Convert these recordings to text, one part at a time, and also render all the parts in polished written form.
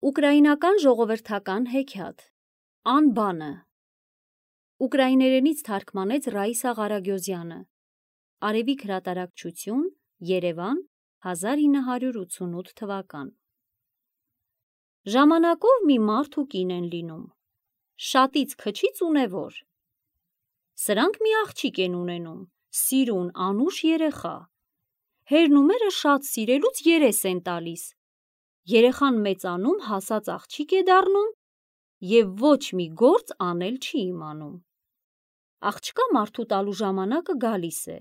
Ուկրաինական ժողովրդական հեքիաթ Անբանը ուկրաիներենից թարգմանեց Ռաիսա Ղարագյոզյանը Արևիկ հրատարակչություն Երևան 1988 թվական Ժամանակով մի մարդ ու կին են լինում շատից քչից ունևոր Սրանք մի աղջիկ են ունենում սիրուն անուշ երեխա Հերնումերը շատ սիրելուց երես են տալիս Երեխան մեծանում հասած աղջիկ է դառնում և ոչ մի գործ անել չի իմանում Աղջկա մարդու տալու ժամանակը գալիս է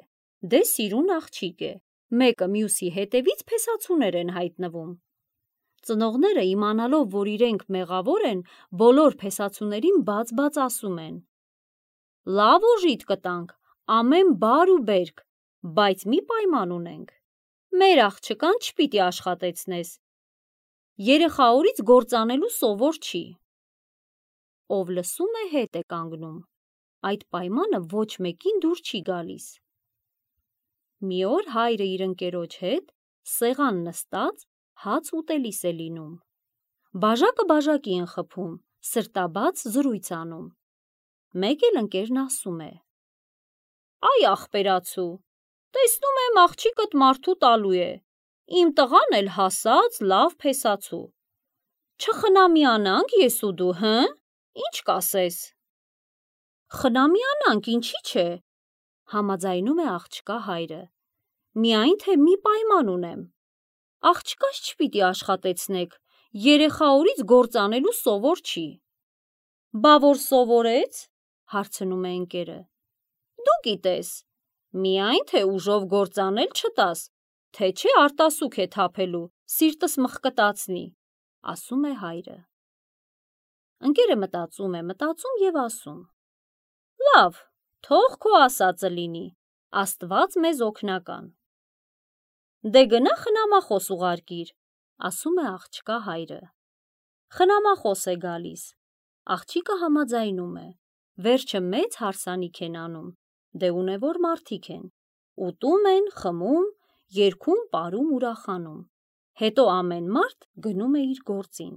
Դե սիրուն աղջիկ է Մեկը մյուսի հետևից փեսացուներ են հայտնվում Ծնողները իմանալով որ իրենք մեղավոր են բոլոր փեսացուներին բաց ասում են Լավ օժիտ կտանք ամեն բար ու բերք բայց մի պայման ունենք Մեր աղջկան չպիտի աշխատեցնես Երեխա օրից գործ անելու սովոր չի Ով լսում է հետ է կանգնում Այդ պայմանը ոչ մեկին դուր չի գալիս Մի օր հայրը իր ընկերոջ հետ Սեղան նստած հաց ուտելիս է լինում Բաժակը բաժակի են խփում Սրտաբաց զրույց անում Մեկ էլ ընկերն ասում է Այ ախպերացու Տեսնում եմ աղջիկդ մարդու տալու է Իմ տղան էլ հասած լավ փեսացու Չխնամյանանք ես ու դու հը Ինչ կասես Խնամյանանք ինչի՞ չէ Համաձայնում է աղջկա հայրը Միայն թե մի պայման ունեմ Աղջկաս չպիտի աշխատեցնեք Երեխա օրից գործ անելու սովոր չի Բա որ սովորեց Հարցնում է ընկերը Դու գիտես Միայն թե ուժով գործ անել չտաս Թե չէ արտասուք է թափելու Սիրտս մխկտացնի Ասում է հայրը Ընկերը մտածում և ասում Լավ, թող քո ասածը լինի Աստված մեզ օգնական Դե գնա խնամախոս ուղարկիր Ասում է աղջկա հայրը Խնամախոս է գալիս Աղջիկը համաձայնում է Վերջը մեծ հարսանիք են անում Դե ունևոր մարդիկ են Ուտում են, խմում Երգում, պարում, ուրախանում Հետո ամեն մարդ գնում է իր գործին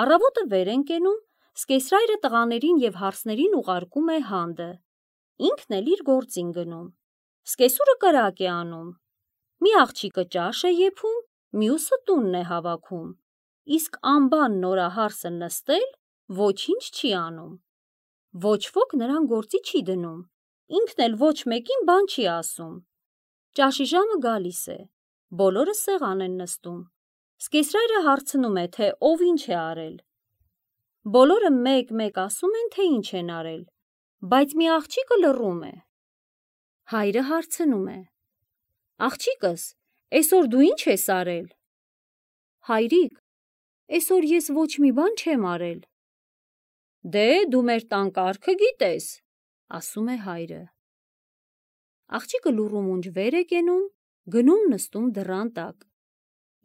Առավոտը վեր են կենում Սկեսրայրը տղաներին և հարսներին ուղարկում է հանդը Ինքն էլ իր գործին գնում Սկեսուրը կրակ է անում Մի աղջիկը ճաշ է եփում Մյուսը տունն է հավաքում Իսկ անբան նորահարսը նստել Ոչինչ չի անում Ոչ ոք նրան գործի չի դնում Ինքն էլ ոչ մեկին բան չի ասում Ճաշի ժամը գալիս է Բոլորը սեղան են նստում Սկեսրայրը հարցնում է թե ով ինչ է արել Բոլորը մեկ ասում են թե ինչ են արել Բայց մի աղջիկը լռում է Հայրը հարցնում է Աղջիկս, էսօր դու ինչ ես արել Հայրիկ, էսօր ես ոչ մի բան չեմ արել Դե դու մեր տան կարգը գիտես Ասում է հայրը Աղջիկը լուռումունջ վեր է կենում Գնում նստում դռան տակ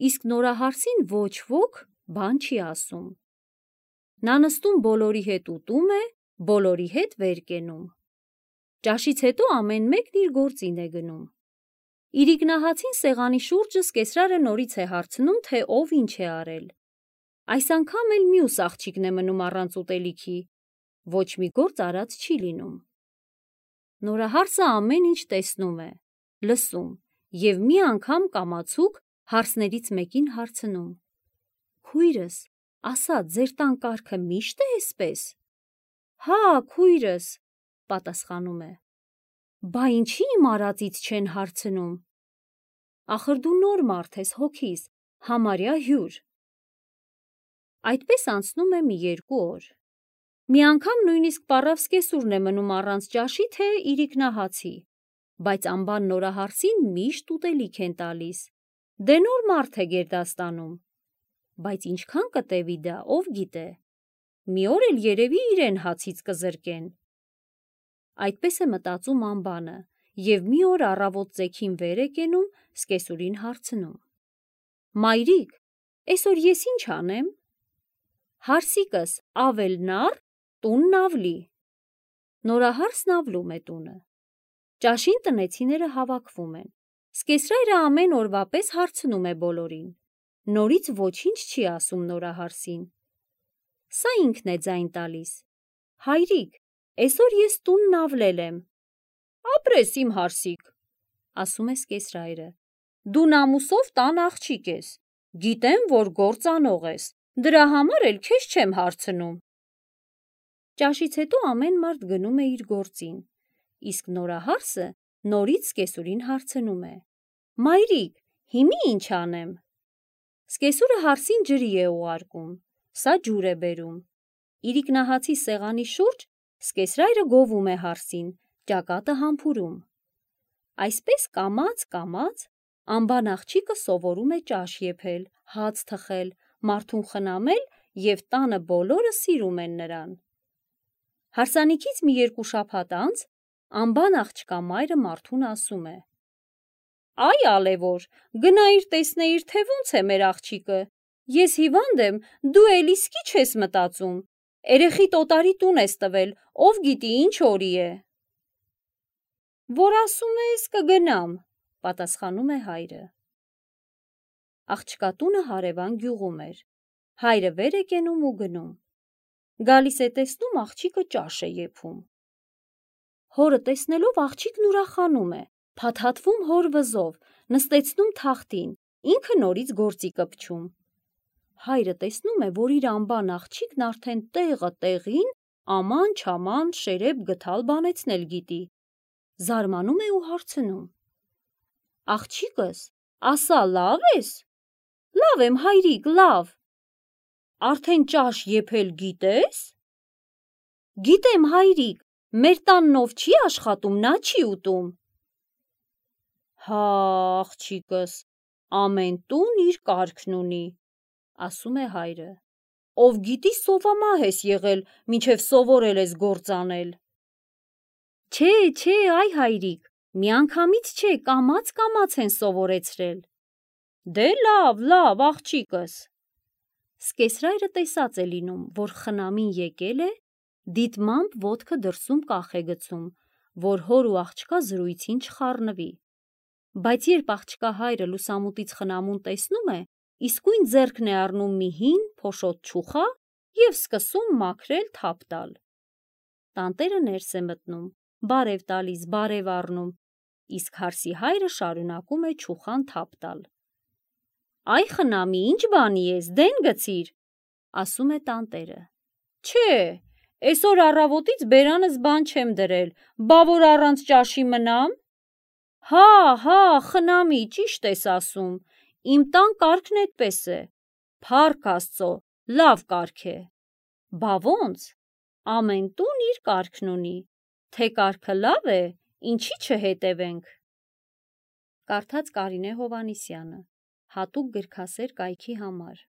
Իսկ նորահարսին ոչ ոք բան չի ասում Նա նստում բոլորի հետ ուտում է Բոլորի հետ վեր կենում Ճաշից հետո ամեն մեկն իր գործին է գնում Իրիկնահացին սեղանի շուրջը սկեսրարը նորից է հարցնում թե ով ինչ է արել Այս անգամ էլ մյուս աղջիկն է մնում առանց ուտելիքի Ոչ մի գործ արած չի լինում Նորահարսը ամեն ինչ տեսնում է Լսում և մի անգամ կամացուկ հարսներից մեկին հարցնում Քույրս, ասա ձեր տան կարգը միշտ է էսպես Հա քույրս, պատասխանում է Բա ինչի իմ արածից չեն հարցնում Ախր դու նոր մարդ ես հոգիս, համարյա հյուր Այդպես անցնում է մի երկու օր Մի անգամ նույնիսկ պառավ սկեսուրն է մնում առանց ճաշի թե իրիկնահացի Բայց անբան նորահարսին միշտ ուտելիք են տալիս Դե նոր մարդ է գերդաստանում Բայց ինչքան կտևի դա ով գիտե Մի օր էլ երևի իրեն հացից կզրկեն Այդպես է մտածում անբանը Եվ մի օր առավոտ ծեքին վեր է կենում Սկեսուրին հարցնում Մայրիկ, էսօր ես ինչ անեմ Հարսիկս ավել նար Տունն ավլի Նորահարսն ավլում է տունը Ճաշին տնեցիները հավաքվում են Սկեսրայրը ամեն օրվա պես հարցնում է բոլորին նորից ոչինչ չի ասում նորահարսին։ Սա ինքն է ձայն տալիս։ Հայրիկ, այսօր ես տունն ավլել եմ։ Ապրես իմ հարսիկ, ասում է սկեսրայրը։ Դու նամուսով տան աղջիկ ես, գիտեմ, որ գործանող ես, դրա համար էլ քեզ չեմ հարցնում։ Ճաշից հետո ամեն մարդ գնում է իր գործին, իսկ նորահարսը նորից սկեսուրին հարցնում է. Մայրիկ, հիմի ինչ անեմ։ Սկեսուրը հարսին ջրի է ուղարկում, սա ջուր է բերում։ Իրիկնահացի սեղանի շուրջ սկեսրայրը գովում է հարսին, ճակատը համբուրում։ Այսպես կամաց անբան աղջիկը սովորում է ճաշ եփել, հաց թխել, մարդուն խնամել և տանը բոլորը սիրում են նրան։ Հարսանիքից մի 2 շաբաթ անց անբան աղջկա մայրը մարդուն ասում է. Այ ալևոր, գնայիր տեսնեիր, թե ոնց է մեր աղջիկը, ես հիվանդ եմ, դու էլ իսկի չես մտածում, երեխիդ օտարի տուն ես տվել, ով գիտի ինչ օրի է։ Որ ասում ես կգնամ, պատասխանում է հայրը։ Աղջկա տունը հարևան գյուղում էր, հայրը վեր է կենում ու գնում։ Գալիս է տեսնում աղջիկը ճաշ է եփում։ Հորը տեսնելով աղջիկն ուրախանում է, փաթաթվում հոր վզով, նստեցնում թախտին, ինքը նորից գործի կպչում։ Հայրը տեսնում է, որ իր անբան աղջիկն արդեն տեղը տեղին, աման-չաման շերեբ գթալ բանեցնել գիտի։ Զարմանում է ու հարցնում. Աղջիկս, ասա լավ ես։ Լավ եմ հայրիկ, լավ։ Արդեն ճաշ եփել գիտես։ Գիտեմ հայրիկ, մեր տաննով չի աշխատում, նա չի ուտում։ Հա, աղջիկս, ամեն տուն իր կարգն ունի, ասում է հայրը։ Ով գիտի սովամահ ես եղել, մինչև սովորել ես գործանել։ Չէ, այ հայրիկ, միանգամից չէ, կամաց են սովորեցրել։ Դե լավ, աղջիկս։ Սկեսրայրը տեսած է լինում, որ խնամին եկել է, դիտմամբ ոտքը դրսում կախ է գցում, որ հոր ու աղջկա զրույցին չխառնվի։ Բայց երբ աղջկա հայրը լուսամուտից խնամուն տեսնում է, իսկույն ձեռքն է առնում մի հին փոշոտ չուխա և սկսում մաքրել թափ տալ։ Տանտերը ներս է մտնում, բարև տալիս, բարև առնում, իսկ հարսի հայրը շարունակում է չուխան թափ տալ։ Այ խնամի, ինչ բանի ես, դեն գցիր, ասում է տանտերը։ Չէ, այսօր առավոտից բերանս բան չեմ դրել, բա որ առանց ճաշի մնամ։ Հա, խնամի, ճիշտ ես ասում, իմ տան կարգն էդպես է, փառք Աստծո, լավ կարգ է։ Բա ոնց, ամեն տուն իր կարգն ունի, թե կարգը լավ է, ինչի չհետևենք։ Կարդաց Կարինե Հովհաննիսյանը, հատուկ գրքասեր կայքի համար։